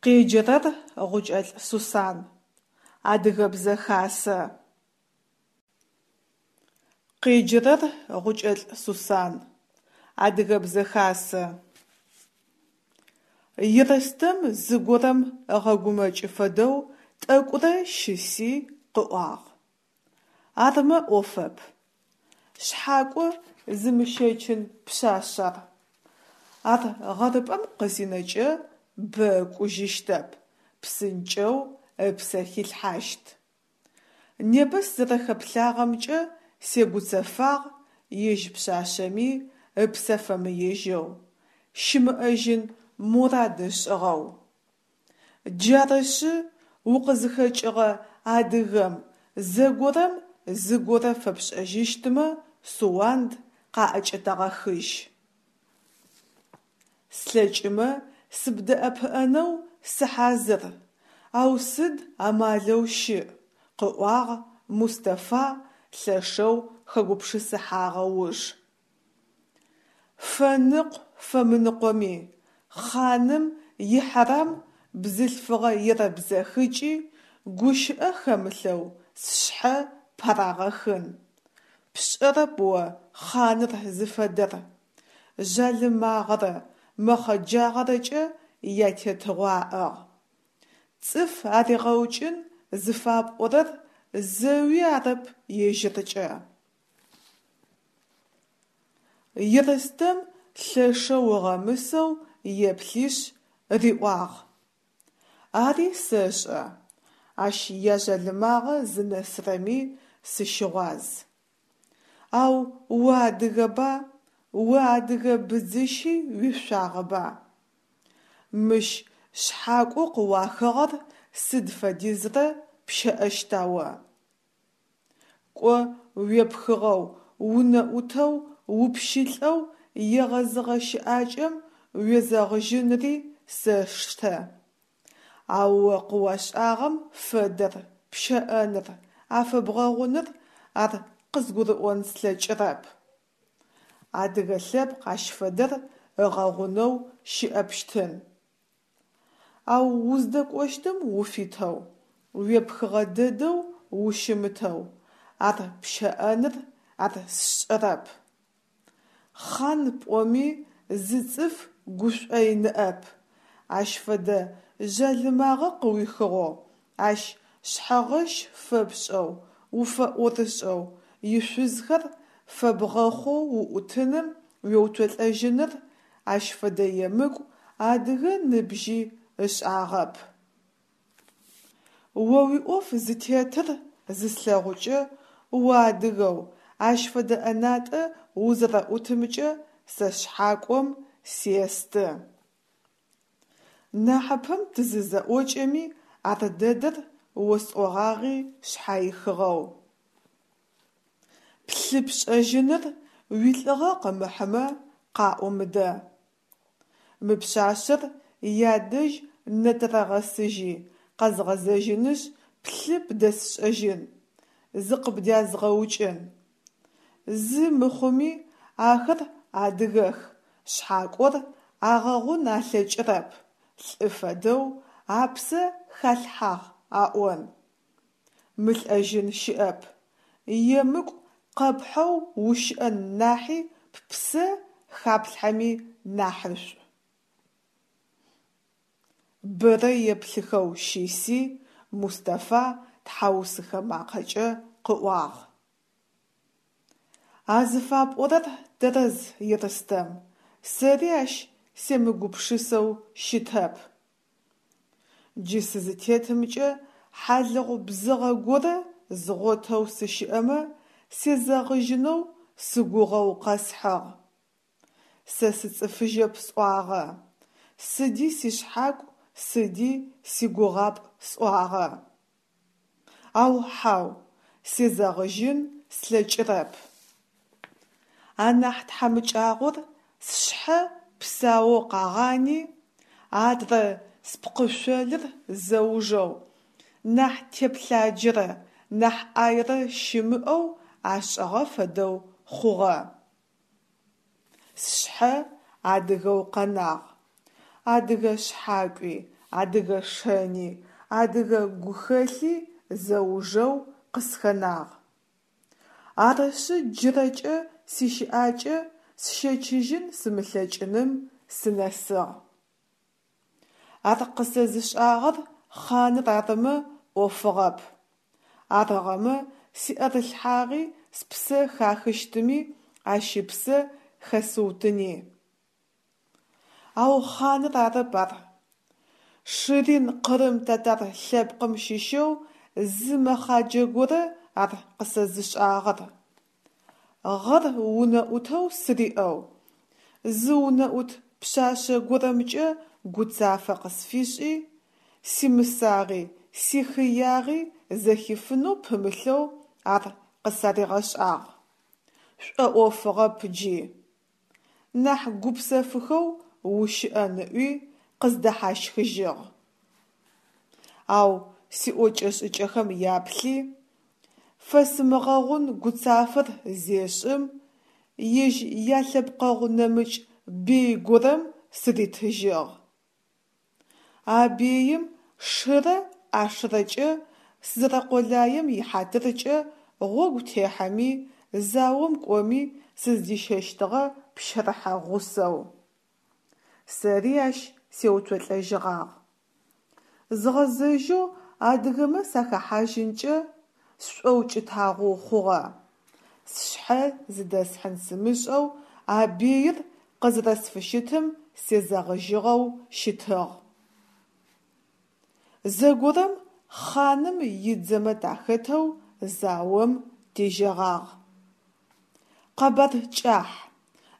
Къеджэрэр Гъукӏэлӏ Сусан. Адыгэбзэ хасэ. Къеджэрэр Гъукӏэлӏ Сусан. Адыгэбзэ хасэ. Ерстэм зыгорэм ыгъэгумэкӏы фэдэу тӏэкӏурэ щыси къыӏуагъ: «Армэ ӏофэп. Шъхьакӏо зымыщэчын пшъашъ ар. Ар гъэрыпӏэм къызинэкӏэ бэ ыкӏужьыщтэп, псынкӏэу ыпсэ хилъхьащт. Непэ сызэрэхэплъагъэмкӏэ сегуцэфагъ ежь пшъашъэми ыпсэ фэмыежьэу, щымыӏэжьын мурад ышӏыгъэу. Джарышъы укъызхэкӏыгъэ адыгэм зэгорэм зыгорэ фэпшӏэжьыщтмэ Суанд къаӏэкӏэтэгъэхыжь. Слъэкӏымэ сыбдэӏэпыӏэнэу сыхьазыр, ау сыд амалэу щыӏ, къыӏуагъ Мустафа лъэшэу хэгупшысыхьагъэ уж. Фэныкъу-фэмыныкъоми, хъаным ихьэрам бзылъфыгъэ ерэбзэхыкӏи, гущыӏэ хэмылъэу сшъхьэ парагъэхын. Пшӏэрэп о хъаныр зыфэдэр. Жъалымагъэрэ мэхъэджагъэрэкӏэ ятетыгъо аӏыгъ. Цӏыф аригъэукӏын зыфапӏорэр зэуи арэп ежьыркӏэ. Ерстэм лъэшэу ыгъэмысэу еплъишъ риӏуагъ: «Ари сэшӏэ, ащ яжъалымагъэ зынэсырэми сыщыгъуаз. Ау уадыгэба, о адыгэ быдзыщи уешъуагъэба? Мыщ шъхьакӏоу къыуахыгъэр сыд фэдизрэ пщэӏэщта о? Кӏо уепхыгъэу, унэӏутэу, упщылӏэу егъэзыгъэ щыӏакӏэм уезэгъыжьынри сэштэ. Ау о къыуашӏагъэм фэдэр пщэӏэныр, афэбгъэгъуныр ар къызгурыӏон слъэкӏырэп. Адыгэ лъэпкъ ащ фэдэр ыгъэгъунэу щыӏэпщтын. Ау уздэкӏощтым уфитэу, уепхыгъэ дэдэу ущымытэу ар пщэӏэныр ар сшӏэрэп. Хъан пӏоми зы цӏыф гушӏой ныӏэп, ащ фэдэ жъалымагъэ къыуихыгъэу, ащ шъхьэгъэщ фэпшӏэу, уфэӏорышӏэу, ишъузхэр фэбгъэхъоу уӏутыным уеуцолӏэжьыныр ащ фэдэ емыкӏу адыгэ ныбжьи ышӏагъэп. О уиӏоф зытетыр зыслъэгъукӏэ, уадыгэу ащ фэдэ ӏэнатӏэ узэрэӏутымкӏэ сэ шъхьакӏом сесты. Нахьыпэм тызызэӏокӏэми ар дэдэр осӏогъагъи шъхьаихыгъэу. Плъы пшӏэжьыныр уилӏыгъэ къымыхьымэ, къаӏо мыдэ. Мы пшъашъэр ядэжь нэтэрэгъэсыжьи, къэзгъэзэжьынышъ плъы бдэсшӏэжьын, зыкъыбдязгъэукӏын. Зы мыхъуми, ахэр адыгэх, шъхьакӏор агъэгъун алъэкӏырэп, лӏы фэдэу апсэ халъхьагъ аӏон. Мылӏэжьын щыӏэп, емыкӏу къэпхьэу ущыӏэн нахьи ппсэ хаплъхьэми нахьышӏу. Бэрэ еплъыхэу щыси, Мустафа тхьаусыхэ макъэкӏэ къыӏуагъ: «А зыфапӏорэр тэрэз, Ерстэм, сэри ащ семыгупшысэу щытэп. Джы сызытетымкӏэ хьалыгъу бзыгъэ горэ згъотэу сыщыӏэмэ, сезэгъыжьынэу сыгугъэу къэсхьыгъ. Сэ сыцӏыфыжьэп сӏуагъэ, сыди сишъхьакӏу, сыди сигугъапӏ сӏуагъэ. Ау хьау, сезэгъыжьын слъэкӏырэп. Анахь тхьамыкӏагъор сшъхьэ псаоу къагъани, адрэ спкъышъолыр зэужэу, нахь теплъаджэрэ нахь ӏаерэ щымыӏэу ашӏыгъэ фэдэу хъугъэ. Сшъхьэ адыгэу къэнагъ. Адыгэ шъхьакӏуи, Адыгэ шэни, адыгэ гухэлъи зэужэу къысхэнагъ. Арышъы джырэкӏэ сищыӏакӏэ сщэчыжьын сымылъэкӏыным сынэсыгъ. Ар къысэзышӏагъэр хъаныр арымэ ӏофыгъэп. Арыгъэмэ сиӏэрылъхьагъи спсэ хахыщтыми, ащ ыпсэ хэсыутыни. Ау хъаныр арэп ар. Ширин къырым татар лъэпкъым щыщэу зы мэхъаджэ горэ ар къысэзышӏагъэр. Гъэр унэӏутэу сыриӏэу, зы унэӏут пшъашъэ горэмкӏэ гуцафэ къысфишӏи, симысагъи, сихыягъи зэхифынэу пымылъэу ар къысаригъэшӏагъ. Шӏоӏофыгъэп джи. Нахь гупсэфыхэу ущыӏэн ыӏуи, къыздэхьащхыжьыгъ. Ау сиӏокӏэ-шӏыкӏэхэм яплъи, фэсымыгъэгъун гуцафэр зешӏым, ежь ялъэпкъэгъу нэмыкӏ бей горэм сыритыжьыгъ. А беим шырэ ӏашэрэкӏэ сызэрэкъулаем ихьатыркӏэ гъогу техьэми, заом кӏоми сыздищэщтыгъэ пщэрыхьэ гъусэу. Сэри ащ сеуцолӏэжьыгъагъ. Згъэзэжьэу адыгэмэ сахэхьажьынкӏэ сшӏоукӏытагъоу хъугъэ. Сшъхьэ зыдэсхьын сымышӏэу а беир къызэрэсфыщытым сезэгъыжьыгъэу щытыгъ. Зэгорэм хъаным идзэмэ тахэтэу заом тежьэгъагъ. Къэбар кӏахь,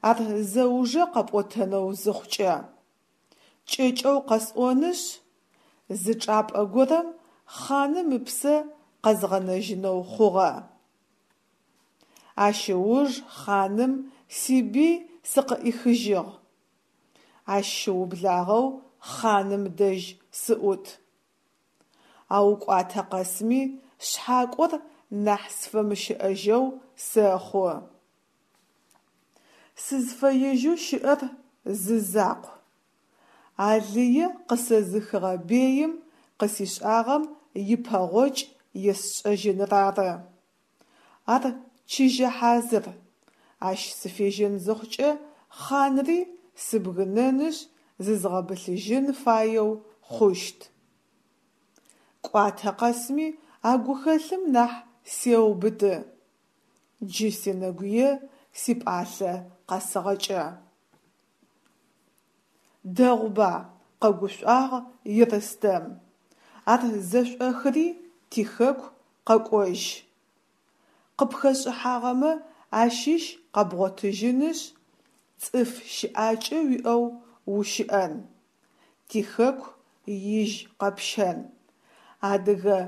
ар зэужэ къэпӏотэнэу зыхъукӏэ. Кӏэкӏэу къэсӏонышъ, зы чӏапӏэ горэм хъаным ыпсэ къэзгъэнэжьынэу хъугъэ. Ащ ыуж хъаным сибий сыкъыӏихыжьыгъ. Ащ щыублагъэу хъаным дэжь сыӏут. Ау кӏуатэ къэсми шъхьакӏор нахь сфэмыщыӏэжьэу сэхъу. Сызфэежьэу щыӏэр зы закъу: а лые къысэзыхыгъэ беим къысишӏагъэм ипэгъокӏ есшӏэжьыныр ары. Ар чыжьэ хьазыр, ащ сыфежьэн зыхъукӏэ хъанри сыбгынэнышъ зызгъэбылъыжьын фаеу хъущт. Кӏуатэ къэсми а гухэлъым нахь сеубыты. Джы сенэгуе сипӏалъэ къэсыгъэкӏэ. Дэгъуба, къэгушӏуагъ Ерстэм, ар зэшӏохыри тихэку къэкӏожь. Къыпхэшӏыхьагъэмэ ащыщ къэбгъотыжьынышъ, цӏыф щыӏакӏэ уиӏэу ущыӏэн, тихэку ижь къэпщэн, адыгэ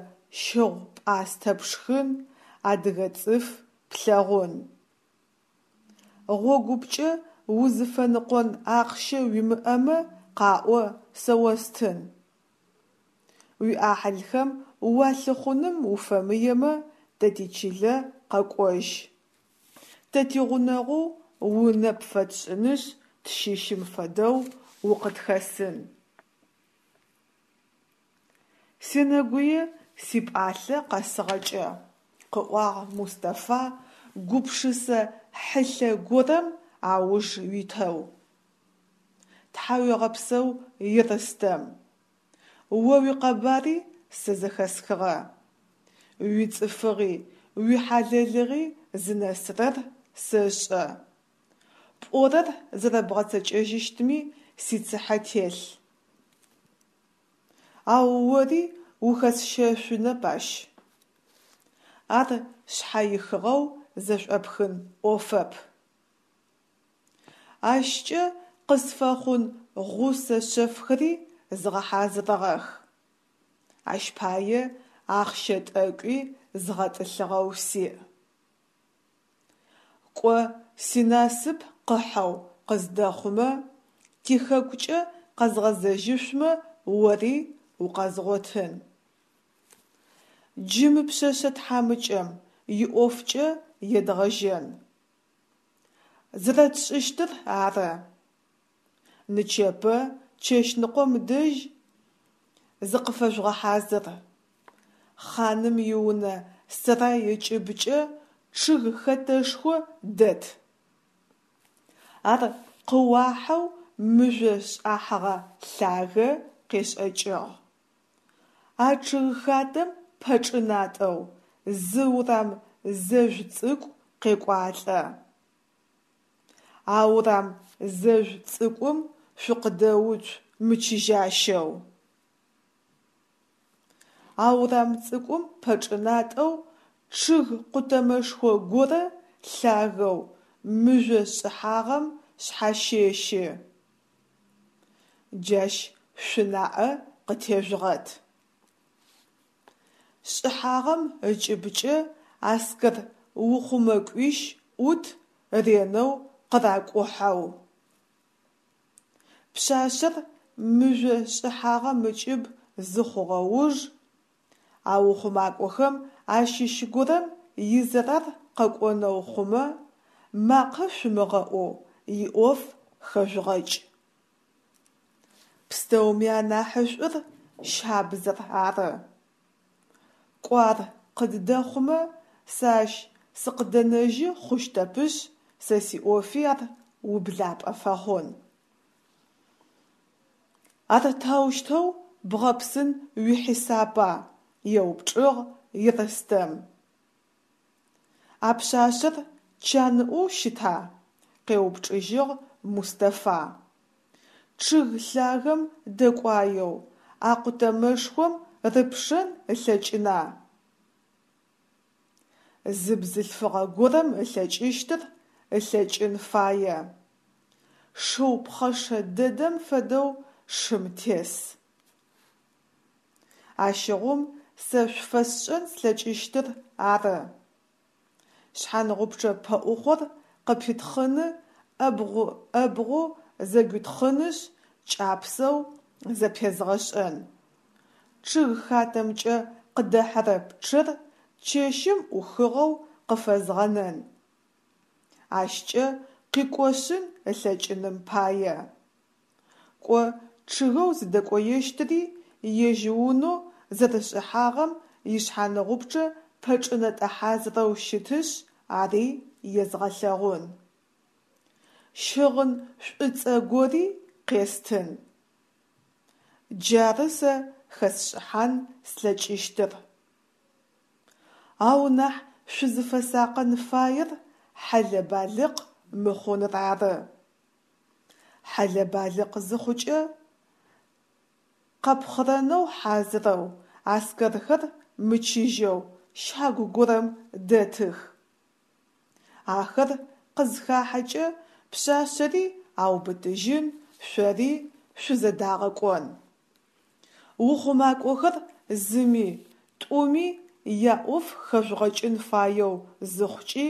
щыгъу-пӏастэ пшхын, адыгэ цӏыф плъэгъун. Гъогупкӏэ узыфэныкъон ахъщэ уимыӏэмэ къаӏо, сэ остын. Уиӏахьылхэм уалъыхъуным уфэмыемэ, тэ тичылэ къэкӏожь. Тэ тигъунэгъоу унэ пфэтшӏынышъ, тщыщым фэдэу укъытхэсын. Сенэгуе сипӏалъэ къэсыгъэкӏэ, къыӏуагъ Мустафа гупшысэ хьылъэ горэм ауж итэу. Тхьауегъэпсэу, Ерстэм. О уикъэбари сэ зэхэсхыгъэ. Уицӏыфыгъи, уихьалэлыгъи зынэсырэр сэшӏэ. Пӏорэр зэрэбгъэцэкӏэжьыщтми сицыхьэ телъ. Ау ори ухэсщэшъунэп ащ. Ар шъхьэихыгъэу зэшӏопхын ӏофэп. Ащкӏэ къысфэхъун гъусэ шъэфхэри згъэхьазырыгъэх. Ащ пае ахъщэ тӏэкӏуи згъэтӏылъыгъэу сиӏ. Кӏо, синасып къыхьэу къыздэхъумэ, тихэкукӏэ къэзгъэзэжьышъумэ ори укъэзгъотын. Джы мы пшъэшъэ тхьамыкӏэм иӏофкӏэ едгъэжьэн. Зэрэтшӏыщтыр ары. Нычэпэ чэщныкъом дэжь. зыкъыфэжъугъэхьазыр. Хъаным иунэ сэрай ыкӏыбкӏэ чъыг хэтэшхо дэт. Ар къыуахьэу мыжъо шӏахьыгъэ лъагэ къешӏэкӏыгъ. А чъыгхатэм пэчӏынатӏэу зы урам зэжъу цӏыкӏу къекӏуалӏэ. А урам зэжъу цӏыкӏум шъукъыдэуцу мычыжьащэу. А урам цӏыкӏум пэчӏынатӏэу чъыг къутэмэшхо горэ лъагэу мыжъо шӏыхьагъэм шъхьащэщы. Джащ шъунаӏэ къытежъугъэт. Шӏыхьагъэм ыкӏыбкӏэ аскэр ухъумэкӏуищ ӏут ренэу къыракӏухьэу. Пшъашъэр мыжъо шӏыхьагъэм ыкӏыб зыхъугъэ уж, а ухъумакӏохэм ащыщ горэм изэрар къэкӏонэу хъумэ, макъэ шъумыгъэӏоу иӏоф хэжъугъэкӏ. Пстэуми анахьышӏур щабзэр ары. Кӏо ар къыддэхъумэ, сэ ащ сыкъыдэнэжьы хъущтэпышъ, сэ сиӏофи ар ублапӏэ фэхъун. Ар таущтэу бгъэпсын уихьисапа? – еупчӏыгъ Ерстэм. А пшъашъэр чаныӏоу щыта? – къеупчӏыжьыгъ Мустафа. Чъыг лъагэм дэкӏуаеу, а къутэмэшхом рыпшэн ылъэкӏына? Зы бзылъфыгъэ горэм ылъэкӏыщтыр ылъэкӏын фае. Шыу пхъэшэ дэдэм фэдэу шым тес. Ащыгъум сэ шъуфэсшӏэн слъэкӏыщтыр ары. Шъхьангъупчъэ пэӏухъор къыпитхъыны ӏэбгъу-ӏэбгъоу зэгуитхъынышъ, кӏапсэу зэпезгъэшӏэн. Чъыгхатэмкӏэ къыдэхьэрэ пчъэр чэщым ӏухыгъэу къыфэзгъэнэн. Ащкӏэ къикӏошъын ылъэкӏыным пае. Кӏо чъыгэу зыдэкӏоещтыри ежь унэу зэрышӏыхьагъэм ишъхьаныгъупчъэ пэчӏынэтӏэ хьазырэу щытышъ, ари езгъэлъэгъун. Щыгъын шӏуцӏэ гори къестын. Джары сэ хэсшӏыхьан слъэкӏыщтыр. Ау нахь шъузыфэсакъын фаер хьэлэ-балыкъ мыхъуныр ары. Хьэлэ-балыкъ зыхъукӏэ, къэпхъырэнэу хьазырэу аскэрхэр мычыжьэу щагу горэм дэтых. Ахэр къызхахьэкӏэ пшъашъэри аубытыжьын, шъори шъузэдагъэкӏон. Ухъумакӏохэр зыми, тӏуми яӏоф хэжъугъэкӏын фаеу зыхъукӏи,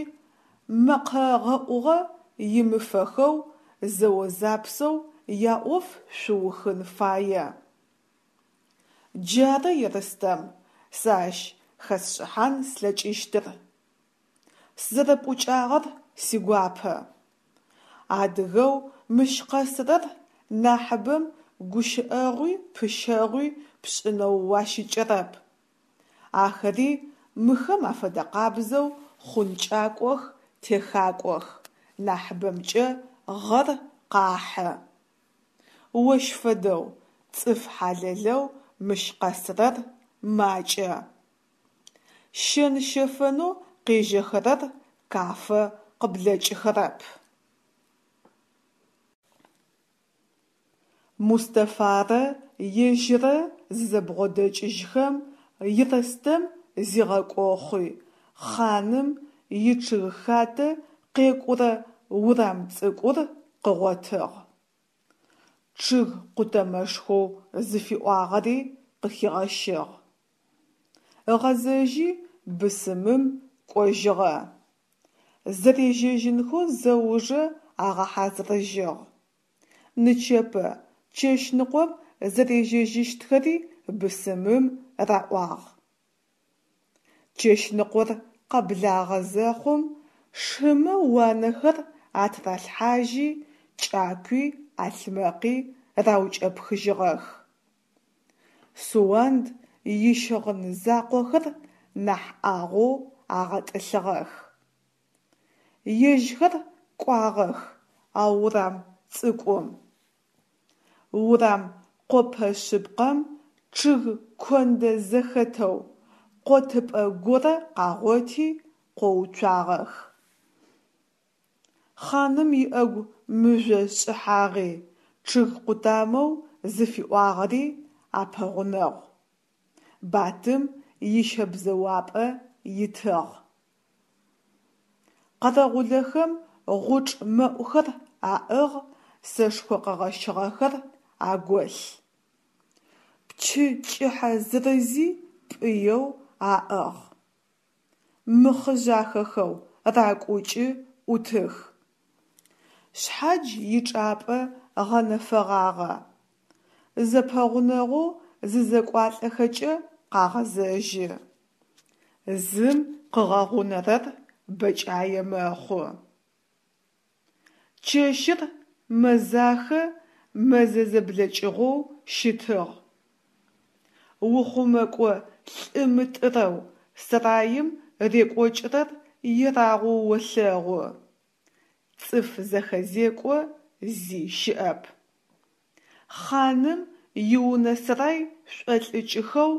мэкъэ гъэӏугъэ имыфэхэу зэо-запсэу яӏоф шъуухын фае. Джары, Ерстэм, сэ ащ хэсшӏыхьан слъэкӏыщтыр. Сызэрэпӏукӏагъэр сигуапэ. Адыгэу мыщ къэсырэр нахьыбэм гущыӏэгъуи пыщэгъуи пшӏынэу уащыкӏэрэп. Ахэри мыхэм афэдэкъабзэу хъункӏакӏох, техакӏох, нахьыбэмкӏэ гъэр къахьы. Ощ фэдэу цӏыф хьалэлэу мыщ къэсырэр макӏэ. Щэн-щэфэнэу къежьэхэрэр Кафэ къыблэкӏыхэрэп. Мустафарэ ежьыррэ зызэбгъодэкӏыжьхэм, Ерстэм зигъэкӏохъуи, хъаным ичъыгхатэ къекӏурэ урам цӏыкӏур къыгъотыгъ. Чъыг къутэмэшхоу зыфиӏуагъэри къыхигъэщыгъ. Ыгъэзэжьи бысымым кӏожьыгъэ. Зэрежьэжьынхэу зэужэ агъэхьазырыжьыгъ. Нычэпэ чэщныкъом зэрежьэжьыщтхэри бысымым раӏуагъ. Чэщныкъор къэблагъэ зэхъум шымэ уанэхэр атыралъхьажьи, кӏакуи ӏалъмэкъи раукӏэпхыжьыгъэх. Суанд ищыгъын закъохэр нахь ӏагъоу агъэтӏылъыгъэх. Ежьхэр кӏуагъэх а урам цӏыкӏум. Урам къопэ шъыпкъэм чъыг кондэ зэхэтэу къотыпӏэ горэ къагъоти къоуцуагъэх. Хъаным иӏэгу мыжъо шӏыхьагъи, чъыг къутамэу зыфиӏуагъэри апэгъунэгъу. Батым ищэбзэуапӏэ итыгъ. Къэрэгъулэхэм гъучӏ мэӏухэр аӏыгъ, сэшхо къэгъэщыгъэхэр аголъ. Пчы кӏыхьэ зырызи пӏыеу аӏыгъ. Мыхъыжъахэхэу ракӏукӏы ӏутых. Шъхьадж ичӏапӏэ гъэнэфэгъагъэ. Зэпэгъунэгъоу зызэкӏуалӏэхэкӏэ къагъэзэжьы. Зым къыгъэгъунэрэр бэкӏае мэхъу. Чэщыр мэзахэ, мэзэ зэблэкӏыгъоу щытыгъ. Ухъумэкӏо лӏы мытӏырэу сараим рекӏокӏырэр ерагъоу олъэгъу. Цӏыф зэхэзекӏо зи щыӏэп. Хъаным иунэ-сарай шӏолӏыкӏыхэу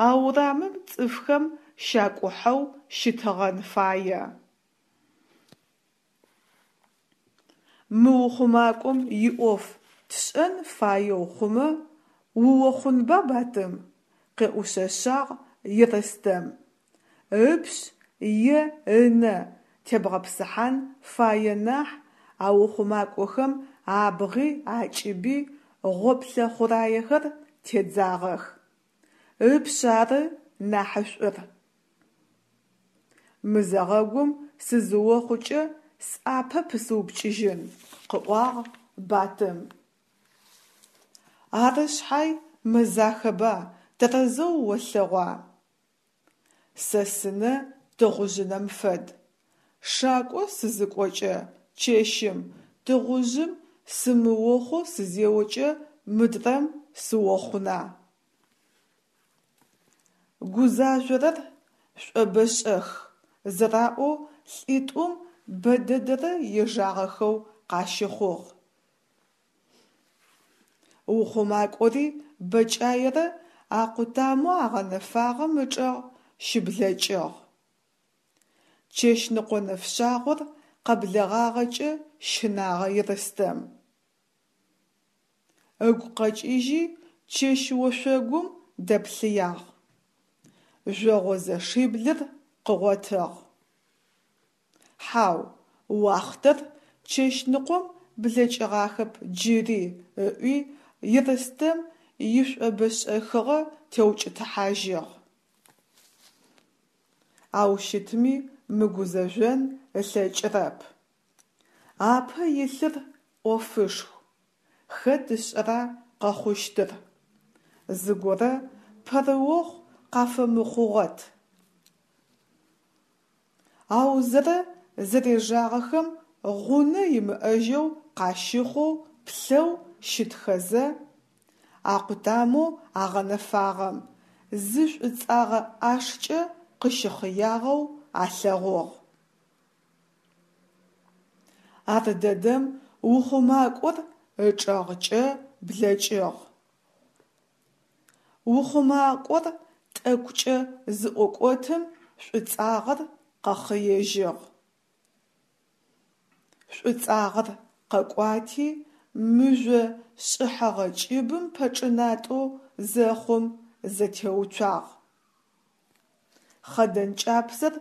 а урамым цӏыфхэм щакӏухьэу щытыгъэн фае. Мы ухъумакӏом иӏоф тшӏэн фаеу хъумэ, уохъунба, Батым? – къеӏушъэшъагъ Ерстэм. Ыпшъ е ынэ тебгъэпсыхьан фае нахь а ухъумакӏохэм абгъи акӏыби гъоплъэ хъураехэр тедзагъэх. Ыпшъ ары нахьышӏур. Мызэгъэгум сызыохъукӏэ сӏапэ пысыупкӏыжьын, – къыӏуагъ Батым. Ары шъхьай мэзахэба, тэрэзэу олъэгъуа? Сэ сынэ тыгъужъынэм фэд. Шакӏо сызыкӏокӏэ чэщым, тыгъужъым сымыохъоу сызеокӏэ мыдрэм сыохъуна? Гузажъорэр шӏобэшӏэх зэраӏоу лӏитӏум бэдэдэрэ ежагъэхэу къащыхъугъ. Ухъумакӏори бэкӏаерэ а къутамэу агъэнэфагъэм ычӏэгъ щыблэкӏыгъ. Чэщныкъо нэфшъагъор къэблэгъагъэкӏэ щынагъэ Ерстэм. Ыгу къэкӏыжьи чэщ ошъогум дэплъыягъ. Жъогъозэшиблыр къыгъотыгъ. Хьау, уахътэр чэщныкъом блэкӏыгъахэп джыри, ыӏуи Ерстэм ишӏобэшӏэхыгъэ теукӏытыхьажьыгъ. Ау щытми мыгузэжъон ылъэкӏырэп. Апэ илъыр ӏофышху, хэт ышӏэра къэхъущтыр? Зыгорэ пэрыохъу къафэмыхъугъот. Аузэрэ зэрежагъэхэм гъунэ имыӏэжьэу къащыхъоу плъэу щытхэзэ, а къутамэу агъэнэфагъэм зы шӏуцӏагъэ ӏашкӏэ къыщыхъыягъэу алъэгъугъ. Ардэдэм ухъумакӏор ычӏэгъкӏэ блэкӏыгъ. Ухъумакӏор тӏэкӏукӏэ зыӏокӏотым шӏуцӏагъэр къэхъыежьыгъ. Шӏуцӏагъэр къэкӏуати мыжъо шӏыхьэгъэ кӏыбым пэчӏынатӏэу зэхъум зэтеуцуагъ. Хъэдэн кӏапсэр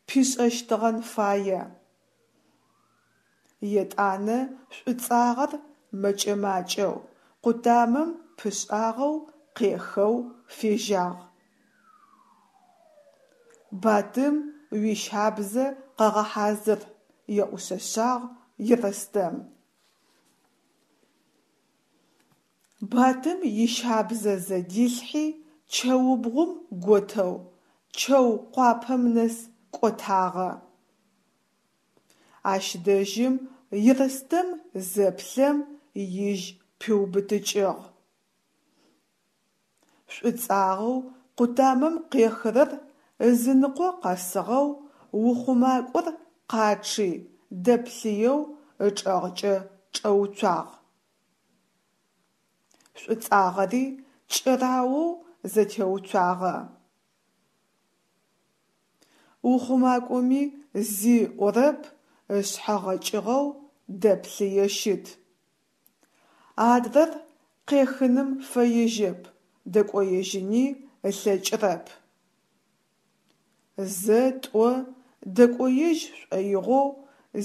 пишӏэщтыгъэн фае. Етӏанэ шӏуцӏагъэр мэкӏэ-макӏэу къутамэм пышӏагъэу къехэу фежьагъ. Батым уищабзэ къэгъэхьазыр, еӏушъэшъагъ Ерстэм. Батым ищабзэ зэдилъхьи чэубгъум готэу чэу къуапэм нэс кӏотагъэ. Ащ дэжьым Ерстэм зэплъэм ижь пиубытыкӏыгъ. Шӏуцӏагъэу къутамэм къехырэр ызыныкъо къэсыгъэу ухъумакӏор къачъи, дэплъыеу ычӏэгъкӏэ чӏэуцуагъ. Шӏуцӏагъэри кӏэраоу зэтеуцуагъэ. Ухъумакӏоми зи ыӏорэп, ышъхьэ гъэкӏыгъэу дэплъые щыт. Адрэр къехыным фэежьэп, дэкӏоежьыни ылъэкӏырэп. Зэ-тӏо дэкӏоежь шӏоигъоу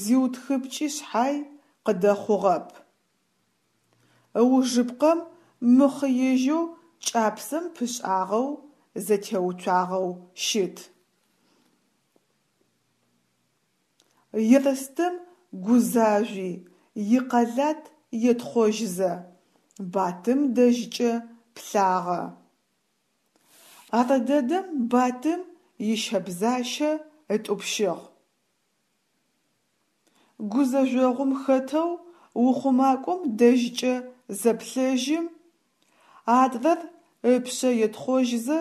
зиутхыпкӏы шъхьай, къыдэхъугъэп. Ыужыпкъэм мыхъыежьэу кӏапсэм пышӏагъэу зэтеуцуагъэу щыт. Ерстэм гузажъуи, икъэлат етхъожьзэ, Батым дэжькӏэ плъагъэ. Ардэдэм Батым ищэбзащэ ытӏупщыгъ. Гузэжъогъум хэтэу ухъумакӏом дэжькӏэ зэплъэжьым, адрэр ыпшъэ етхъожьзэ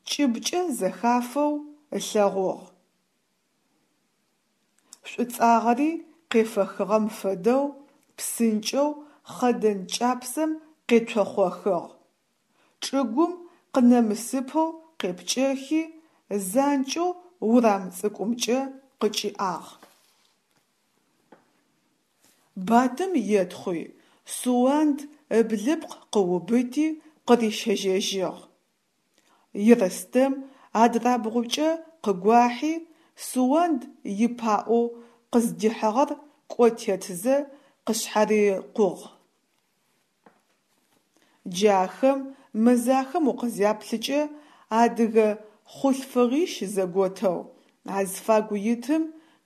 кӏыбкӏэ зэхафэу ылъэгъугъ. Шӏуцӏагъэри къефэхыгъэм фэдэу псынкӏэу хъэдэн кӏапсэм къецохъохыгъ. Чӏыгум къынэмысыпэу къепкӏэхи, занкӏэу урам цӏыкӏумкӏэ къыкӏиӏагъ. Батым етхъуи, Суанд ыблыпкъ къыубыти къырищэжьэжьыгъ. Ерстэм адрабгъукӏэ къыгуахьи, Суанд ипаӏоу къыздихьыгъэр кӏо тетзэ къышъхьарикъугъ. Джы ахэм мэзахэм укъызяплъыкӏэ адыгэ хъулъфыгъищ зэготэу, азфагу итым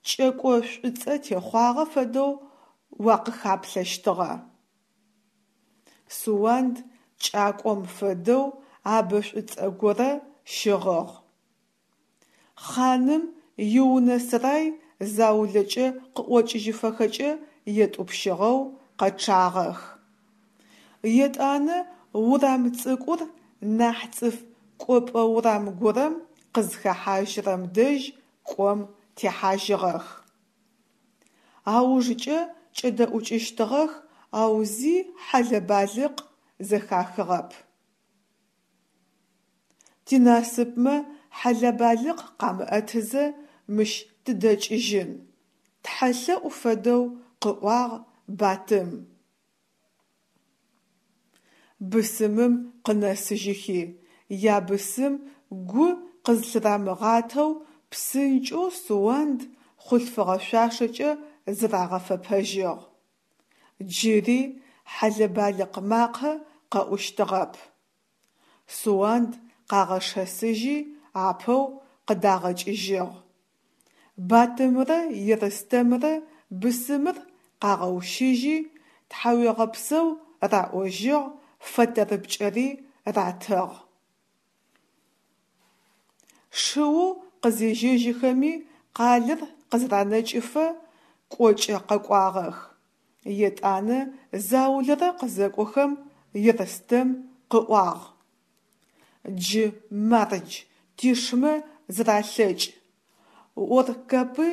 кӏэко шӏуцӏэ техъуагъэ фэдэу уакъыхаплъэщтыгъэ. Суанд кӏакӏом фэдэу абэ шӏуцӏэ горэ щыгъыгъ. Хъаным иунэ-сэрай заулэкӏэ къыӏокӏыжьыфэхэкӏэ етӏупщыгъэу къэчъагъэх. Етӏанэ урам цӏыкӏур нахь цӏыф кӏопӏэ урам горэм къызхэхьажьырэм дэжь кӏом техьажьыгъэх. Аужкӏэ кӏэдэӏукӏыщтыгъэх, ау зи хьэлэ-балыкъ зэхахыгъэп. Тинасыпмэ хьэлэ-балыкъ къамыӏэтызэ мыщ тыдэкӏыжьын, тхьэлъэӏу фэдэу къыӏуагъ Батым. Бысымым къынэсыжьыхи, ябысым гу къызлъырамыгъатэу псынкӏэу Суанд хъулъфыгъэ шъуашэкӏэ зырагъэфэпэжьыгъ. Джыри хьэлэ-балыкъ макъэ къэӏущтыгъэп. Суанд къагъэшэсыжьи апэу къыдагъэкӏыжьыгъ. Батымрэ Ерстэмрэ бысымыр къагъэущыжьи, тхьауегъэпсэу раӏожьыгъ, фэтэрыпкӏэри ратыгъ. Шыоу къызежьэжьыхэми къалэр къызэранэкӏыфэ кӏокӏэ къэкӏуагъэх. Етӏанэ заулэрэ къызэкӏохэм Ерстэм къыӏуагъ: Джы мардж, тишмэ зэралъэкӏ. Ор-Капы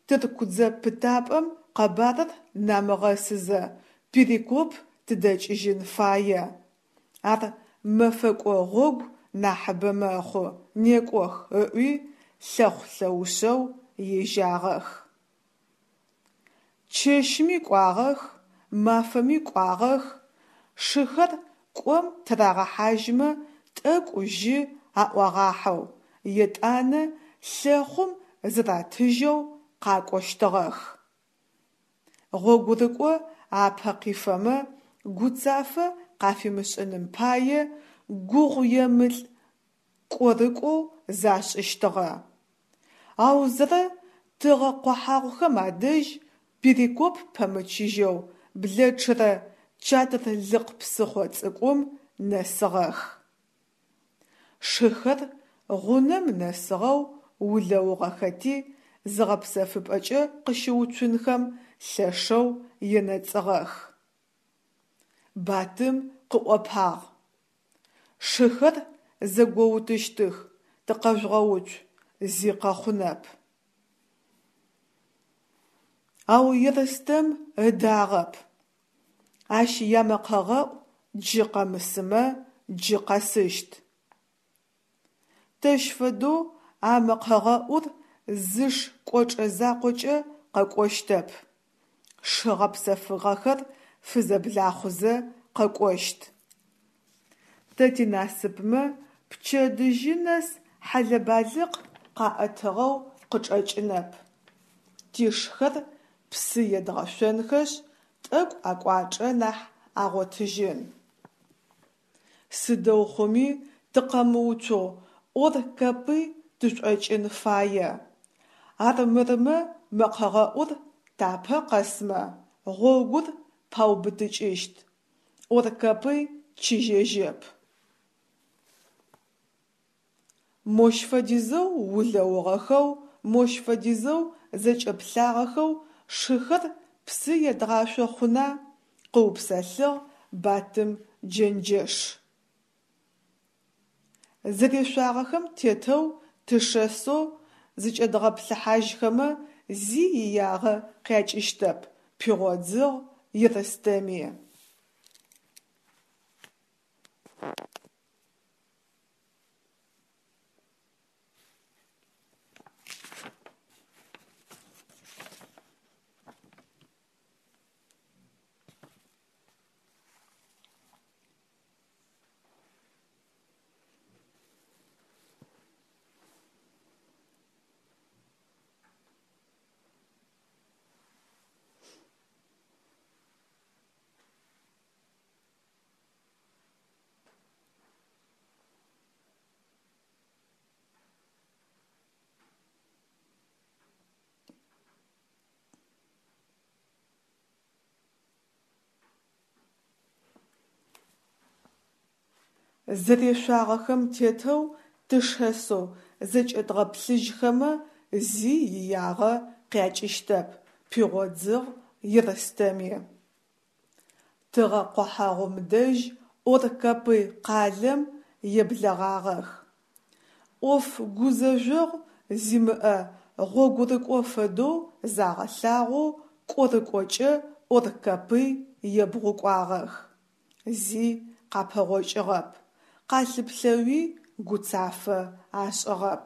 тырку дзэ пытапӏэм къэбарыр намыгъэсызэ Перекоп тыдэкӏыжьын фае. Ар мэфэкӏо гъогу нахьыбэ мэхъу, некӏох, – ыӏуи лъэхъу-лъэушъэу ежьагъэх. Чэщми кӏуагъэх, мафэми кӏуагъэх, шыхэр кӏом тырагъэхьажьмэ тӏэкӏу жьы аӏуагъахьэу, етӏанэ лъэхъум зыратыжьэу къакӏощтыгъэх. Гъогурыкӏо апэ къифэмэ гуцафэ къафимышӏыным пае гугъуемылӏ кӏорыкӏоу зашӏыщтыгъэ. Аузэрэ тыгъэ къохьагъухэм адэжь Перекоп пэмычыжьэу блэчъырэ Чатырлыкъ псыхъо цӏыкӏум нэсыгъэх. Шыхэр гъунэм нэсыгъэу улэугъэхэти, зыгъэпсэфыпӏэкӏэ къыщыуцунхэм лъэшэу енэцӏыгъэх. Батым къыӏопагъ: Шыхэр зэгоутыщтых, тыкъэжъугъэуцу, зи къэхъунэп. Ау Ерстэм ыдагъэп: Ащ ямэкъэгъэӏу джы къэмысымэ джы къэсыщт. Тэщ фэдэу а мэкъэгъэӏур зы шы кӏочӏэ закъокӏэ къэкӏощтэп, шы гъэпсэфыгъэхэр фызэблахъузэ къэкӏощт. Тэ тинасыпмэ, пчэдыжьы нэс хьэлэ-балыкъ къаӏэтыгъэу къычӏэкӏынэп. Тишхэр псы едгъэшъонхэшъ, тӏэкӏу акӏуачӏэ нахь агъотыжьын. Сыдэу хъуми тыкъэмыуцоу Ор-Капый тышӏокӏын фае. Армырмэ мэкъэгъэӏур тапэ къэсмэ, гъогур паубытыкӏыщт. Ор-Капый чыжьэжьэп. Мощ фэдизэу улэугъэхэу, мощ фэдизэу зэкӏэплъагъэхэу шыхэр псы едгъашъо хъуна? – къыупсэлъыгъ Батым джэнджэш. Зэрешъуагъэхэм тетэу тышэсэу зыкӏэдгъэплъыхьажьхэмэ зи иягъэ къякӏыщтэп, – пигъодзыгъ Ерстэми. Зэрешъуагъэхэм тетэу тышэсэу зэкӏэдгъэплъыжьхэмэ зи иягъэ къякӏыщтэп, – пигъодзыгъ Ерстэми. Тыгъэ къохьэгъум дэжь Ор-Капый къалэм еблэгъагъэх. Ӏоф гузэжъогъу зимыӏэ гъогурыкӏо фэдэу загъэлъагъоу кӏорыкӏокӏэ Ор-Капый ебгъукӏуагъэх. Зи къапэгъокӏыгъэп, къалъыплъэуи гуцафэ ашӏыгъэп.